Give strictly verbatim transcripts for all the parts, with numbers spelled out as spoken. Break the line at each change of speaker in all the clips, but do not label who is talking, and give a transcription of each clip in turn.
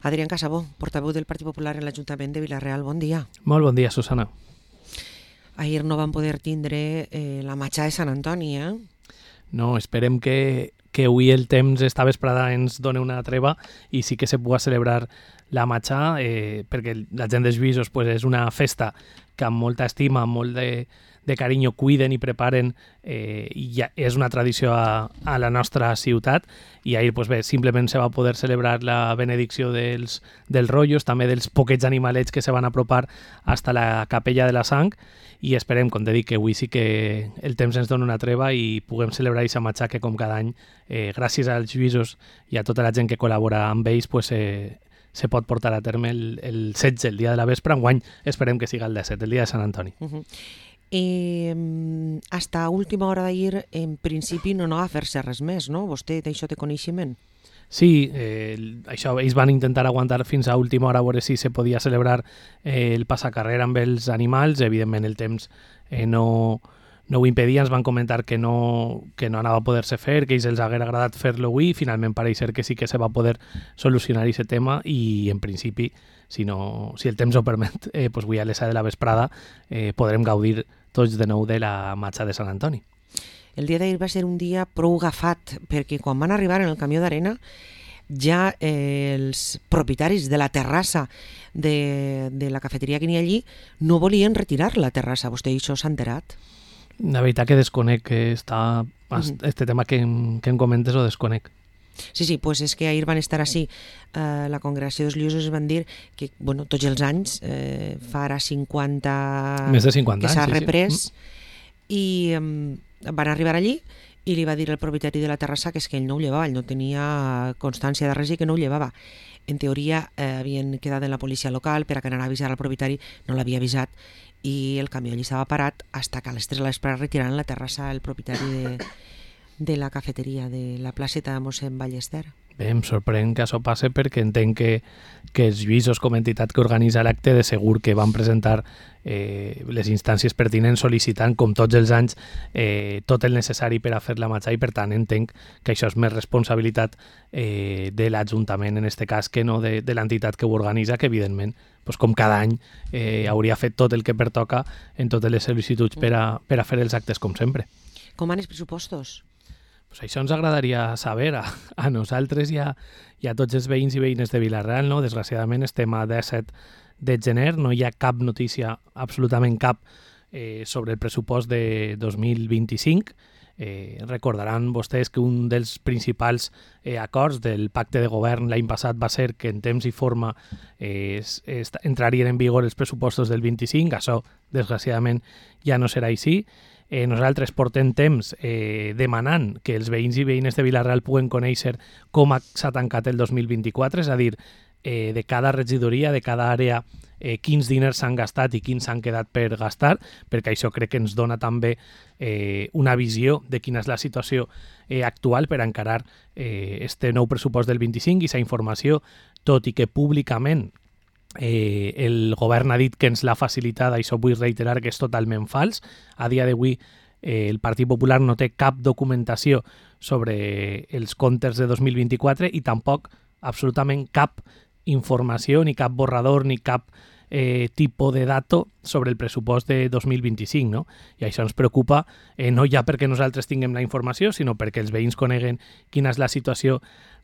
Adrián Casabó, portaveu del Partit Popular en l'Ajuntament de Vila-real. Bon dia.
Molt bon dia, Susana.
Ahir no van poder tindre eh, la matxa de Sant Antoni, eh?
No, esperem que, que avui el temps esta vesprada ens doni una treva i sí que se pugui celebrar la matxa, eh, perquè la gent dels Lluïsos pues, és una festa que amb molta estima, amb molt de, de carinyo cuiden i preparen, eh, i ja és una tradició a, a la nostra ciutat, i ahir pues, bé, simplement se va poder celebrar la benedicció dels, dels rotllos, també dels poquets animalets que se van apropar hasta la capella de la Sang, i esperem, com te dic, que avui sí que el temps ens dona una treva i puguem celebrar aquesta matxa que com cada any, eh, gràcies als Lluïsos i a tota la gent que col·labora amb ells, pues, eh, se pot portar a terme el, el setze, el dia de la vespre. Enguany esperem que siga el disset, el dia de Sant Antoni.
Uh-huh. Eh, hasta última hora d'ahir, en principi, no anava a fer-se res més, no? Vostè d'això té coneixement?
Sí, eh, això, ells van intentar aguantar fins a última hora a veure si se podia celebrar eh, el passacarrera amb els animals. Evidentment el temps eh, no, no ho impedia, ens van comentar que no, que no anava a poder-se fer, que ells els hagués agradat fer-lo avui, i finalment pareix ser que sí que se va poder solucionar aquest tema, i en principi, si, no, si el temps ho permet, eh, pues avui a les set de la vesprada eh, podrem gaudir tots de nou de la matxa de Sant Antoni.
El dia d'ahir va ser un dia prou agafat, perquè quan van arribar en el camió d'arena ja eh, els propietaris de la terrassa de, de la cafeteria que n'hi ha allí no volien retirar la terrassa. Vostè això s'ha enterat?
La veritat que desconec que està, mm-hmm. este tema que, que em comentes ho desconec.
Sí, sí, pues és que ahir van estar així. Uh, la congregació dels Lluïsos van dir que bueno, tots els anys, eh, fa ara cinquanta...
Més de cinquanta
que s'ha
anys,
reprès,
sí, sí.
i um, van arribar allí i li va dir el propietari de la terrassa que és que ell no ho llevava, ell no tenia constància de res i que no ho llevava. En teoria eh, havien quedat en la policia local per a que anara a avisar al propietari, no l'havia avisat, i el camió allí estava parat hasta que a les tres de la vesprada retiraran la terrassa el propietari de, de la cafeteria de la placeta de mossèn Ballester.
Bé, em sorprèn que això passe perquè entenc que, que els Lluïsos, com a entitat que organitza l'acte, de segur que van presentar eh, les instàncies pertinents sol·licitant, com tots els anys, eh, tot el necessari per a fer la matxa, i per tant entenc que això és més responsabilitat eh, de l'Ajuntament, en aquest cas, que no de, de l'entitat que ho organitza, que evidentment, pues, com cada any, eh, hauria fet tot el que pertoca en totes les sol·licituds per a, per a fer els actes com sempre.
Com van els pressupostos?
Pues això ens agradaria saber a, a nosaltres i a, i a tots els veïns i veïnes de Vila-real, no? Desgraciadament estem a disset de gener, no hi ha cap notícia, absolutament cap, eh, sobre el pressupost de dos mil vint-i-cinc. Eh, recordaran vostès que un dels principals eh, acords del pacte de govern l'any passat va ser que en temps i forma eh, es, es, entrarien en vigor els pressupostos del vint-i-cinc. Això, desgraciadament, ja no serà així. Eh, nosaltres portem temps eh, demanant que els veïns i veïnes de Vila-real puguen conèixer com s'ha tancat el dos mil vint-i-quatre, és a dir, eh, de cada regidoria, de cada àrea, eh, quins diners s'han gastat i quins s'han quedat per gastar, perquè això crec que ens dona també eh, una visió de quina és la situació eh, actual per encarar eh, este nou pressupost del vint-i-cinc, i aquesta informació, tot i que públicament Eh, el govern ha dit que ens l'ha facilitat, això vull reiterar que és totalment fals. A dia d'avui eh, el Partit Popular no té cap documentació sobre els comptes de dos mil vint-i-quatre i tampoc absolutament cap informació, ni cap borrador, ni cap eh, tipus de dato sobre el pressupost de dos mil vint-i-cinc, no? I això ens preocupa eh, no ja perquè nosaltres tinguem la informació, sinó perquè els veïns coneguen quina és la situació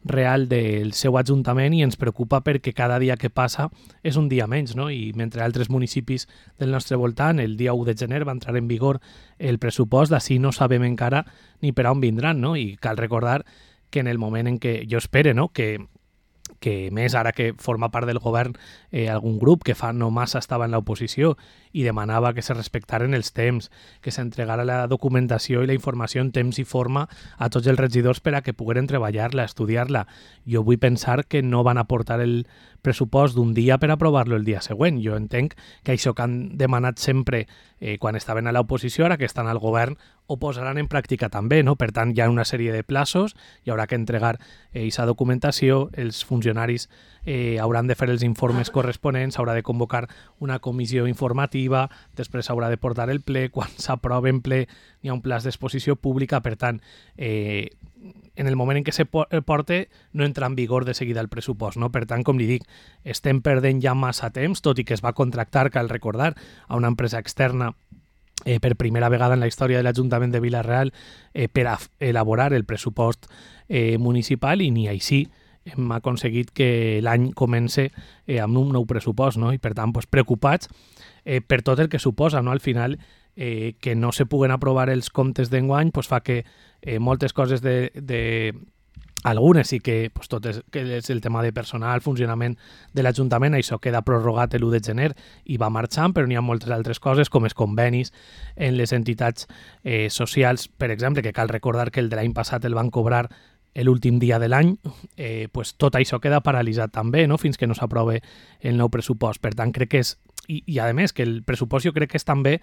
real del seu ajuntament, i ens preocupa perquè cada dia que passa és un dia menys, no? I mentre altres municipis del nostre voltant el dia u de gener va entrar en vigor el pressupost, d'ací no sabem encara ni per on vindran, no? I cal recordar que en el moment en què jo espero, no?, que que més ara que forma part del govern eh, algun grup que fa no massa estava en l'oposició i demanava que se respectaren els temps, que s'entregara la documentació i la informació en temps i forma a tots els regidors per a que pogueren treballar-la, estudiar-la. Jo vull pensar que no van aportar el pressupost d'un dia per aprovar-lo el dia següent. Jo entenc que això que han demanat sempre eh, quan estaven a l'oposició, ara que estan al govern, ho posaran en pràctica també, no? Per tant, hi ha una sèrie de plaços, hi haurà que entregar aquesta eh, documentació, els funcionaris eh, hauran de fer els informes corresponents, s'haurà de convocar una comissió informativa, després s'haurà de portar el ple, quan s'aprova en ple hi ha un pla d'exposició pública, per tant, eh, en el moment en què se porta no entra en vigor de seguida el pressupost, no? Per tant, com li dic, estem perdent ja massa temps, tot i que es va contractar, cal recordar, a una empresa externa eh, per primera vegada en la història de l'Ajuntament de Vila-real eh, per a elaborar el pressupost eh, municipal, i ni així hem aconseguit que l'any comence eh, amb un nou pressupost, no? I per tant, pues, preocupats eh, per tot el que suposa, no? Al final, eh, que no se puguen aprovar els comptes d'enguany pues, fa que eh, moltes coses de, de algunes sí que, pues, tot és, que és el tema de personal, funcionament de l'Ajuntament, això queda prorrogat l'u de gener i va marxant, però n'hi ha moltes altres coses, com els convenis en les entitats eh, socials, per exemple, que cal recordar que el de l'any passat el van cobrar l'últim dia de l'any, eh, pues, tot això queda paralitzat també, no? Fins que no s'aprove el nou pressupost. Per tant, crec que és, i, i a més, que el pressupost jo crec que és també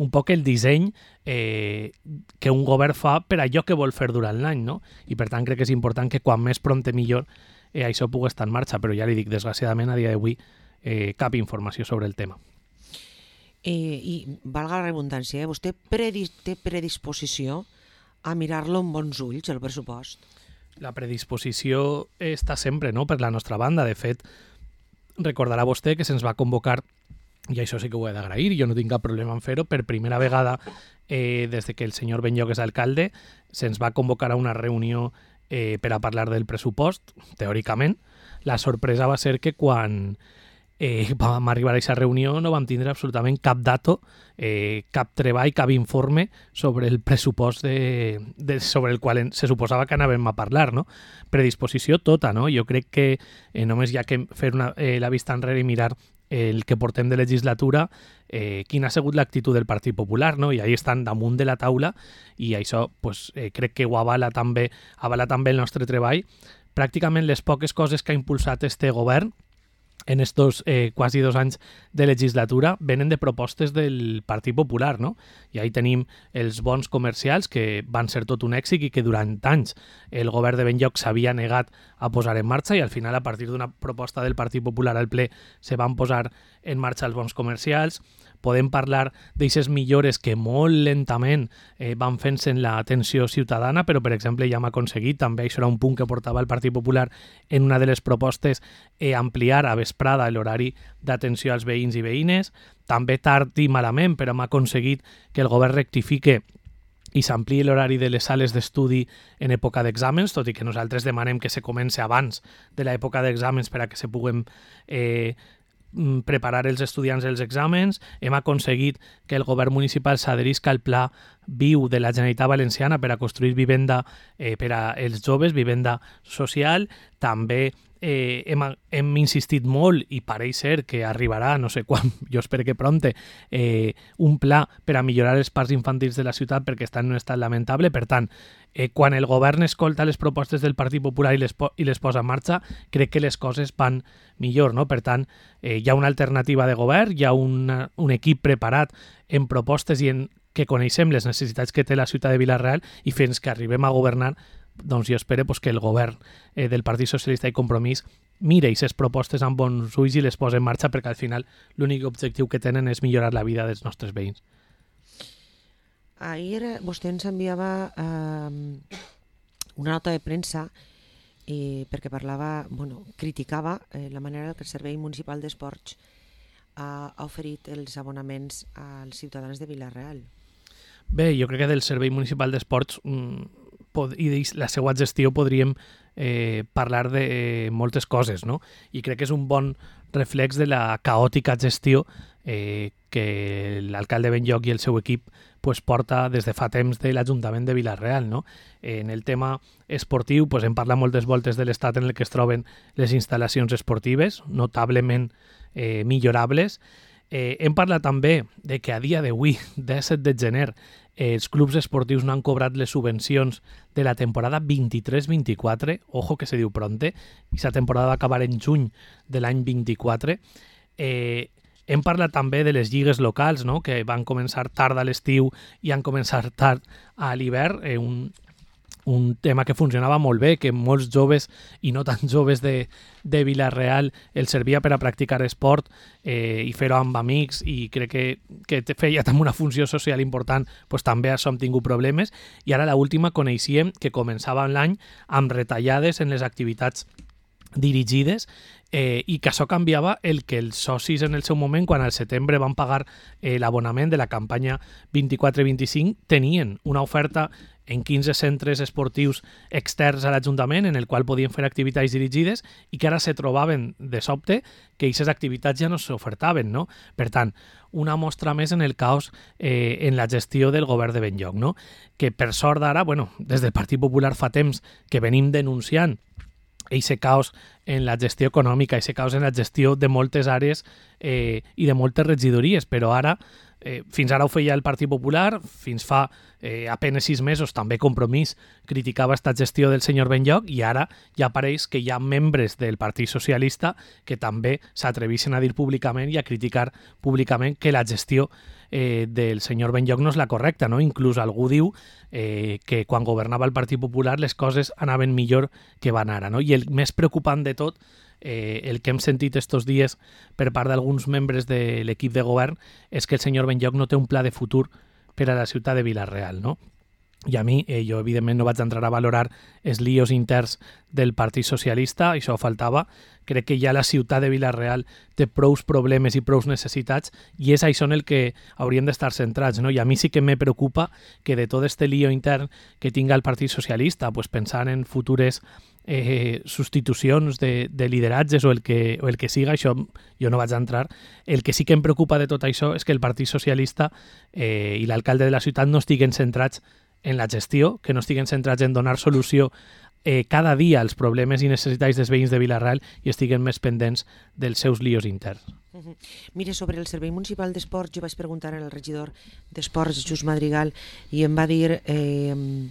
un poc el disseny eh, que un govern fa per allò que vol fer durant l'any, no? I per tant crec que és important que quan més prompte millor eh, això pugui estar en marxa, però ja li dic, desgraciadament a dia d'avui eh, cap informació sobre el tema.
Eh, I valga la redundància, eh? Vostè predis, té predisposició a mirar-lo amb bons ulls, el pressupost?
La predisposició està sempre, no?, per la nostra banda. De fet, recordarà vostè que se'ns va convocar, i això sí que ho he d'agrair, jo no tinc cap problema en fer-ho, per primera vegada eh, des de que el senyor Benlloc és alcalde, se'ns va convocar a una reunió eh, per a parlar del pressupost, teòricament. La sorpresa va ser que quan eh, vam arribar a aquesta reunió no vam tindre absolutament cap dato, eh, cap treball, cap informe sobre el pressupost de, de, sobre el qual se suposava que anàvem a parlar, no? Predisposició tota, no? Jo crec que eh, només hi ha que fer una, eh, la vista enrere i mirar el que portem de legislatura, eh, quina ha sigut l'actitud del Partit Popular, no? I ahí estan damunt de la taula, i això pues, eh, crec que ho avala també, avala també el nostre treball. Pràcticament les poques coses que ha impulsat este govern en estos eh, quasi dos anys de legislatura venen de propostes del Partit Popular, no? I ahí tenim els bons comercials, que van ser tot un èxit i que durant anys el govern de Benlloc s'havia negat a posar en marxa, i al final, a partir d'una proposta del Partit Popular al ple, se van posar en marxa els bons comercials. Podem parlar d'aixes millores que molt lentament eh, van fent-se en l'atenció ciutadana, però, per exemple, ja hem aconseguit, també això era un punt que portava el Partit Popular en una de les propostes, eh, ampliar a vesprada l'horari d'atenció als veïns i veïnes. També tard i malament, però hem aconseguit que el govern rectifique i s'ampliï l'horari de les sales d'estudi en època d'exàmens, tot i que nosaltres demanem que se comence abans de l'època d'exàmens per a que se puguem eh, preparar els estudiants els exàmens. Hem aconseguit que el govern municipal s'adherisca al Pla Viu de la Generalitat Valenciana per a construir vivenda eh, per a els joves, vivenda social. També eh, hem, hem insistit molt, i pareix ser que arribarà, no sé quan, jo espero que prompte, eh, un pla per a millorar els parcs infantils de la ciutat perquè estan en un estat lamentable. Per tant, eh, quan el govern escolta les propostes del Partit Popular i les, po i les posa en marxa, crec que les coses van millor, no? Per tant, eh, hi ha una alternativa de govern, hi ha una, un equip preparat en propostes i en que coneixem les necessitats que té la ciutat de Vila-real, i fins que arribem a governar, doncs jo espero pues, que el govern eh, del Partit Socialista i Compromís mire aquestes propostes amb bons ulls i les posa en marxa, perquè al final l'únic objectiu que tenen és millorar la vida dels nostres veïns.
Ahir vostè ens enviava eh, una nota de premsa eh, perquè parlava, bueno, criticava eh, la manera que el Servei Municipal d'Esports ha, ha oferit els abonaments als ciutadans de Vila-real.
Bé, jo crec que del Servei Municipal d'Esports mmm, i de la seva gestió podríem eh, parlar de eh, moltes coses, no? I crec que és un bon reflex de la caòtica gestió eh, que l'alcalde Benlloc i el seu equip pues, porta des de fa temps de l'Ajuntament de Vila-real, no? En el tema esportiu pues, hem parlat moltes voltes de l'estat en el que es troben les instal·lacions esportives, notablement eh, millorables. Eh, hem parlat també de que a dia d'avui, disset de gener, eh, els clubs esportius no han cobrat les subvencions de la temporada vint-i-tres vint-i-quatre, ojo que se diu pronte, i la temporada va acabar en juny de l'any vint-i-quatre. Eh, hem parlat també de les lligues locals, no?, que van començar tard a l'estiu i han començat tard a l'hivern, eh, un un tema que funcionava molt bé, que molts joves i no tan joves de, de Vila-real els servia per a practicar esport eh, i fer-ho amb amics, i crec que, que feia també una funció social important, pues també això hem tingut problemes. I ara l'última coneixíem que començava l'any amb retallades en les activitats dirigides, eh, i que això canviava el que els socis en el seu moment, quan al setembre van pagar eh, l'abonament de la campanya vint-i-quatre vint-i-cinc, tenien una oferta en quinze centres esportius externs a l'Ajuntament en el qual podien fer activitats dirigides, i que ara se trobaven de sobte que aquestes activitats ja no s'ofertaven, no? Per tant, una mostra més en el caos eh, en la gestió del govern de Benlloc, no? Que per sort d'ara, bueno, des del Partit Popular fa temps que venim denunciant eixe caos en la gestió econòmica, eixe caos en la gestió de moltes àrees eh, i de moltes regidories, però ara, eh, fins ara ho feia el Partit Popular, fins fa eh, apenes sis mesos també Compromís criticava esta gestió del senyor Benlloc, i ara ja pareix que hi ha membres del Partit Socialista que també s'atreveixen a dir públicament i a criticar públicament que la gestió eh, del senyor Benlloc no és la correcta, no? Inclús algú diu eh, que quan governava el Partit Popular les coses anaven millor que van ara, no? I el més preocupant de tot, eh, el que hem sentit estos dies per part d'alguns membres de l'equip de govern, és que el senyor Benlloc no té un pla de futur per a la ciutat de Vila-real, no? I a mi, eh, jo evidentment no vaig entrar a valorar els líos interns del Partit Socialista, això faltava. Crec que ja la ciutat de Vila-real té prous problemes i prous necessitats, i és això en el que hauríem d'estar centrats, no? I a mi sí que me preocupa que de tot este lío intern que tinga el Partit Socialista, pues pensant en futures eh, substitucions de, de lideratges o el, que, o el que siga, això jo no vaig entrar. El que sí que em preocupa de tot això és que el Partit Socialista eh, i l'alcalde de la ciutat no estiguen centrats en la gestió, que no estiguen centrats en donar solució eh, cada dia als problemes i necessitats dels veïns de Vila-real, i estiguen més pendents dels seus líos interns.
Uh -huh. Mire, sobre el Servei Municipal d'Esports, jo vaig preguntar al regidor d'Esports, Just Madrigal, i em va dir eh,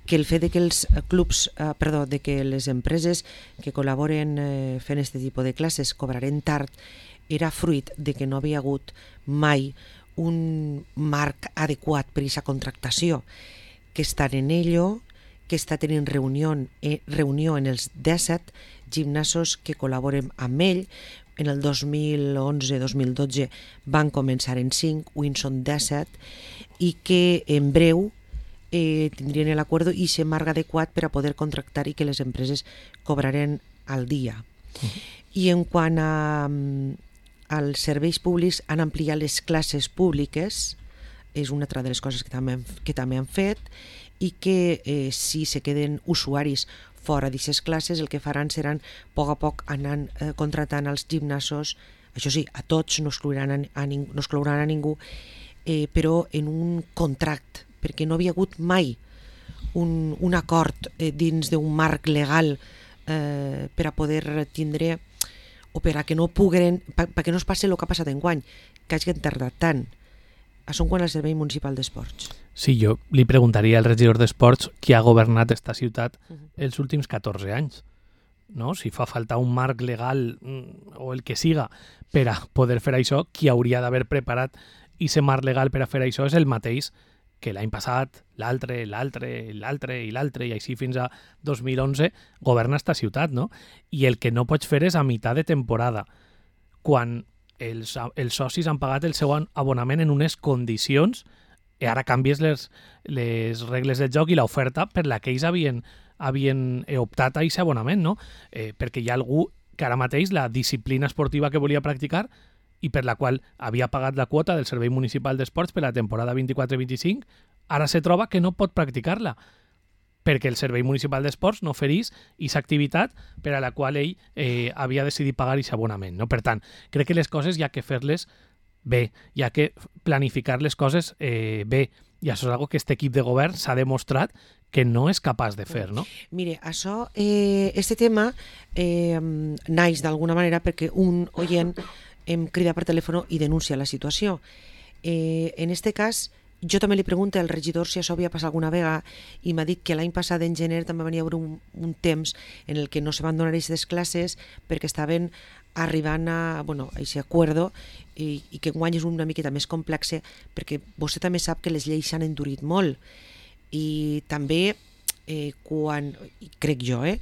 que el fet de que els clubs, eh, perdó, de que les empreses que col·laboren eh, fent aquest tipus de classes cobraren tard era fruit de que no havia hagut mai un marc adequat per a aquesta contractació, que estan en ello, que està tenint reunió, eh, reunió en els disset gimnasos que col·laboren amb ell. En el dos mil onze dos mil dotze van començar en cinc, avui en són disset, i que en breu eh, tindrien l'acord i aquest marc adequat per a poder contractar i que les empreses cobraren al dia. Uh-huh. I en quant a als serveis públics, han ampliat les classes públiques, és una altra de les coses que també, que també han fet, i que eh, si se queden usuaris fora d'aquestes classes, el que faran seran a poc a poc anant eh, contratant als gimnasos, això sí, a tots, no exclouran a, a, ning no exclouran a ningú, eh, però en un contracte, perquè no havia hagut mai un, un acord eh, dins d'un marc legal eh, per a poder tindre, o per a que no puguen, perquè no es passi el que ha passat enguany, que hagin tardat tant. Això en quant al Servei Municipal d'Esports.
Sí, jo li preguntaria al regidor d'Esports qui ha governat esta ciutat els últims catorze anys. No? Si fa falta un marc legal o el que siga per a poder fer això, qui hauria d'haver preparat aquest marc legal per a fer això és el mateix que l'any passat, l'altre, l'altre, l'altre i l'altre, i així fins a dos mil onze, governa esta ciutat, no? I el que no pots fer és a meitat de temporada, quan els, els socis han pagat el seu abonament en unes condicions, i ara canvies les, les regles del joc i l'oferta per la que ells havien, havien optat a aquest abonament, no? Eh, perquè hi ha algú que ara mateix la disciplina esportiva que volia practicar i per la qual havia pagat la quota del Servei Municipal d'Esports per la temporada vint-i-quatre vint-i-cinc, ara se troba que no pot practicar-la, perquè el Servei Municipal d'Esports no oferís aquesta activitat per a la qual ell eh, havia decidit pagar aquest abonament. No? Per tant, crec que les coses hi ha que fer-les bé, hi ha que planificar les coses eh, bé, i això és una cosa que aquest equip de govern s'ha demostrat que no és capaç de fer, no?
Mire, això, eh, este tema eh, naix d'alguna manera perquè un oient em crida per telèfon i denuncia la situació. Eh, en este cas, jo també li pregunto al regidor si això havia passat alguna vegada i m'ha dit que l'any passat, en gener, també venia haver un, un temps en el que no se van donar aquestes classes perquè estaven arribant a, bueno, a aquest acord i, i que enguany és una miqueta més complex perquè vostè també sap que les lleis s'han endurit molt i també eh, quan, crec jo, eh,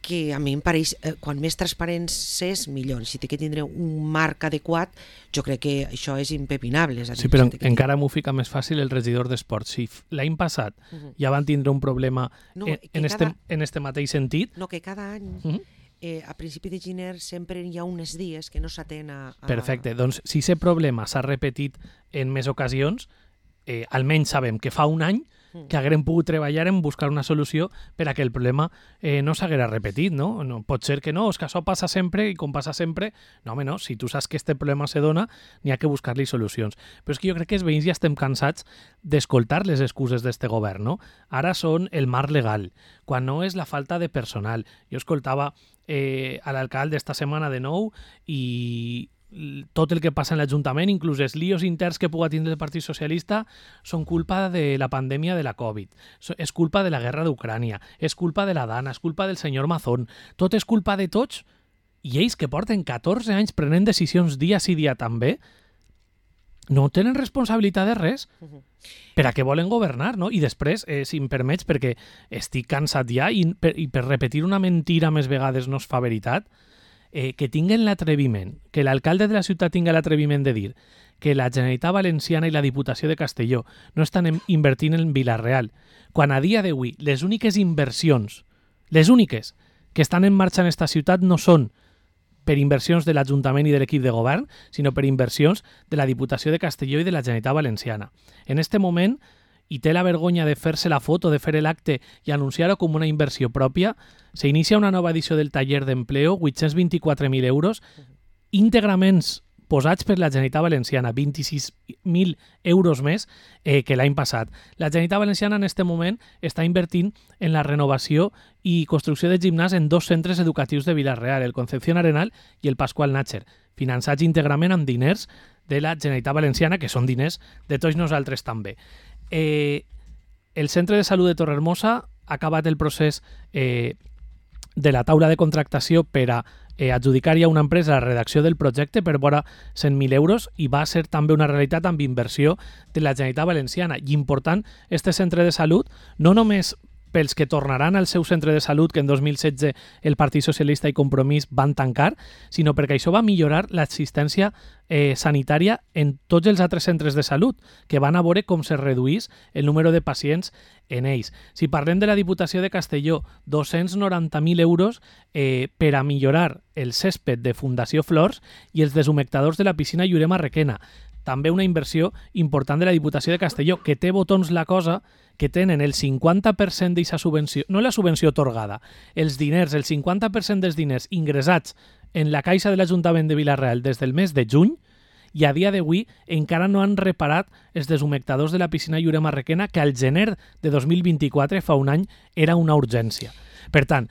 que a mi em pareix, eh, quan més transparents és, millor. Si té que tindre un marc adequat, jo crec que això és impepinable. És a dir,
sí, però
si que
encara m'ho fica més fàcil el regidor d'Esports. Si l'any passat uh -huh. ja van tindre un problema no, en, en, cada... este, en este mateix sentit...
No, que cada any... Uh -huh. Eh, a principi de gener sempre hi ha uns dies que no s'atén a, a...
Perfecte, doncs si aquest problema s'ha repetit en més ocasions, eh, almenys sabem que fa un any que haguem pogut treballar en buscar una solució per a que el problema eh, no s'haguera repetit, no? no? Pot ser que no, és que això passa sempre i com passa sempre, no, home, no, si tu saps que este problema se dona, n'hi ha que buscar-li solucions. Però és que jo crec que els veïns ja estem cansats d'escoltar les excuses d'este govern, no? Ara són el marc legal, quan no és la falta de personal. Jo escoltava eh, a l'alcalde esta setmana de nou i tot el que passa en l'Ajuntament, inclús els líos interns que pugui tindre el Partit Socialista, són culpa de la pandèmia de la Covid, és culpa de la guerra d'Ucrània, és culpa de la Dana, és culpa del senyor Mazón, tot és culpa de tots, i ells que porten catorze anys prenent decisions dia sí dia també, no tenen responsabilitat de res, per a què volen governar, no? I després, eh, si em permets, perquè estic cansat ja i per, i per repetir una mentira més vegades no es fa veritat, Eh, que tinguen l'atreviment, que l'alcalde de la ciutat tinga l'atreviment de dir que la Generalitat Valenciana i la Diputació de Castelló no estan en, invertint en Vila-real, quan a dia d'avui les úniques inversions, les úniques que estan en marxa en esta ciutat no són per inversions de l'Ajuntament i de l'equip de govern, sinó per inversions de la Diputació de Castelló i de la Generalitat Valenciana. En este moment, i té la vergonya de fer-se la foto, de fer l'acte i anunciar-ho com una inversió pròpia, s'inicia una nova edició del taller d'empleo, vuit-cents vint-i-quatre mil euros, íntegrament posats per la Generalitat Valenciana, vint-i-sis mil euros més eh, que l'any passat. La Generalitat Valenciana en aquest moment està invertint en la renovació i construcció de gimnàs en dos centres educatius de Vila-real, el Concepción Arenal i el Pascual Nácher, finançats íntegrament amb diners de la Generalitat Valenciana, que són diners de tots nosaltres també. Eh, el Centre de Salut de Torrehermosa ha acabat el procés eh, de la taula de contractació per a eh, adjudicar-hi a una empresa la redacció del projecte per vora cent mil euros i va ser també una realitat amb inversió de la Generalitat Valenciana. I important, este centre de salut, no només pels que tornaran al seu centre de salut que en dos mil setze el Partit Socialista i Compromís van tancar, sinó perquè això va millorar l'assistència eh, sanitària en tots els altres centres de salut, que van a veure com se reduís el número de pacients en ells. Si parlem de la Diputació de Castelló, dos-cents noranta mil euros eh, per a millorar el césped de Fundació Flors i els deshumectadors de la piscina Llurema Requena. També una inversió important de la Diputació de Castelló, que té botons la cosa, que tenen el cinquanta per cent d'aquesta subvenció, no la subvenció atorgada, els diners, el cinquanta per cent dels diners ingressats en la caixa de l'Ajuntament de Vila-real des del mes de juny, i a dia d'avui encara no han reparat els deshumectadors de la piscina Llurema Requena, que al gener de dos mil vint-i-quatre, fa un any, era una urgència. Per tant,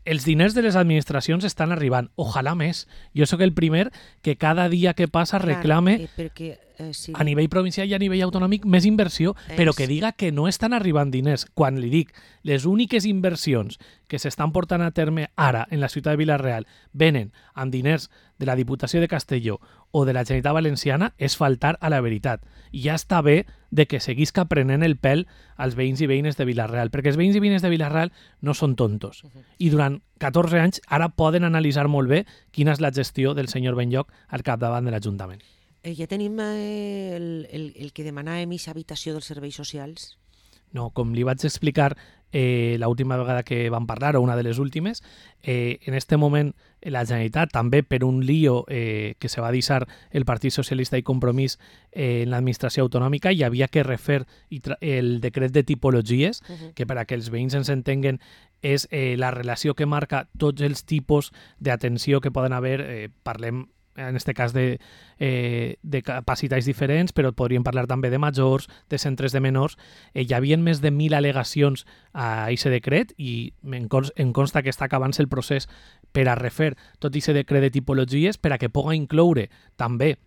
els diners de les administracions estan arribant. Ojalà més. Jo sóc el primer que cada dia que passa reclame
Clar, eh, perquè, eh, sí.
a nivell provincial i a nivell autonòmic més inversió, és... però que diga que no estan arribant diners. Quan li dic, les úniques inversions que s'estan portant a terme ara en la ciutat de Vila-real venen amb diners de la Diputació de Castelló o de la Generalitat Valenciana, és faltar a la veritat. I ja està bé de que seguisca prenent el pèl als veïns i veïnes de Vila-real, perquè els veïns i veïnes de Vila-real no són tontos. Uh -huh. I durant catorze anys ara poden analitzar molt bé quina és la gestió del senyor Benlloch al capdavant de l'Ajuntament.
Eh, ja tenim eh, el, el, el que demanàvem i habitació dels serveis socials?
No, com li vaig explicar eh, l'última vegada que vam parlar, o una de les últimes, eh, en este moment la Generalitat, també per un lío eh, que se va deixar el Partit Socialista i Compromís eh, en l'administració autonòmica, hi havia que refer el decret de tipologies, uh-huh. que per a que els veïns ens entenguen és eh, la relació que marca tots els tipus d'atenció que poden haver, eh, parlem en aquest cas de, eh, de capacitats diferents, però podríem parlar també de majors, de centres de menors. Eh, hi havia més de mil al·legacions a aquest decret i em consta, em consta que està acabant-se el procés per a refer tot aquest decret de tipologies per a que pugui incloure també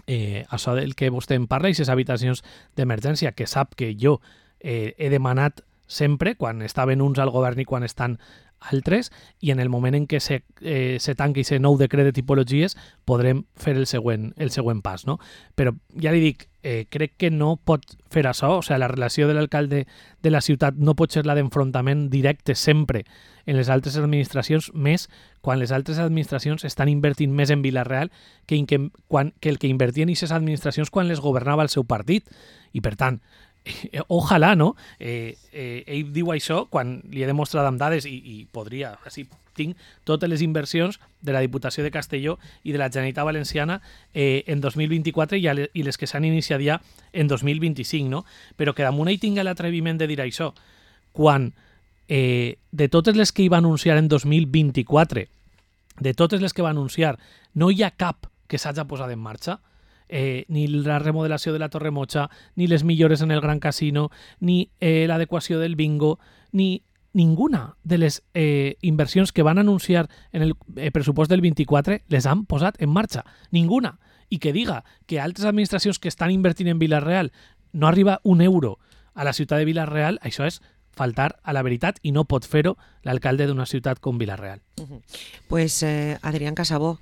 eh, això del que vostè em parla, aquestes habitacions d'emergència, que sap que jo eh, he demanat sempre, quan estaven uns al govern i quan estan altres, i en el moment en què se, eh, se tanqui aquest nou decret de tipologies podrem fer el següent, el següent pas, no? Però ja li dic, eh, crec que no pot fer això, o sigui, la relació de l'alcalde de la ciutat no pot ser la d'enfrontament directe sempre en les altres administracions, més quan les altres administracions estan invertint més en Vila-real que, que, quan, que el que invertien aquestes administracions quan les governava el seu partit. I per tant, Eh, ojalà, no? Eh, eh, ell diu això quan li he demostrat amb dades i, i podria, així tinc totes les inversions de la Diputació de Castelló i de la Generalitat Valenciana eh, en dos mil vint-i-quatre i, i les que s'han iniciat ja en dos mil vint-i-cinc, no? Però que damunt ell tinga l'atreviment de dir això quan eh, de totes les que hi va anunciar en dos mil vint-i-quatre, de totes les que va anunciar, no hi ha cap que s'hagi posat en marxa. Eh, ni la remodelació de la Torre Mocha, ni les millores en el Gran Casino, ni eh, l'adequació del bingo, ni ninguna de les eh, inversions que van anunciar en el eh, pressupost del vint-i-quatre les han posat en marxa. Ninguna. I que diga que altres administracions que estan invertint en Vila-real no arriba un euro a la ciutat de Vila-real, això és faltar a la veritat i no pot fer-ho l'alcalde d'una ciutat com Vila-real.
Uh-huh. Pues eh, Adrián Casabó,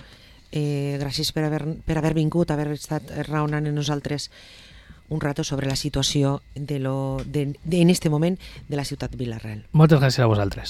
Eh, gràcies per haver, per haver vingut, haver estat raonant en nosaltres un rato sobre la situació de lo, de, de, en este moment de la ciutat de Vila-real.
Moltes gràcies a vosaltres.